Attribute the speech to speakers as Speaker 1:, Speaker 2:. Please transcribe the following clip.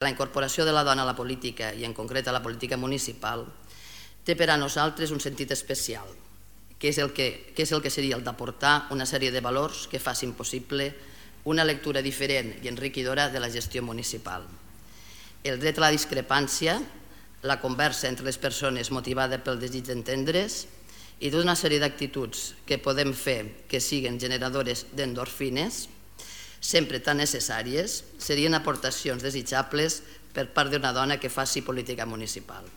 Speaker 1: La incorporació de la dona a la política, i en concret a la política municipal, té per a nosaltres un sentit especial, que és el que seria el d'aportar una sèrie de valors que facin possible una lectura diferent i enriquidora de la gestió municipal. El dret a la discrepància, la conversa entre les persones motivada pel desig d'entendre's i tota una sèrie d'actituds que podem fer que siguin generadores d'endorfines, sempre tan necessàries, serien aportacions desitjables per part d'una dona que faci política municipal.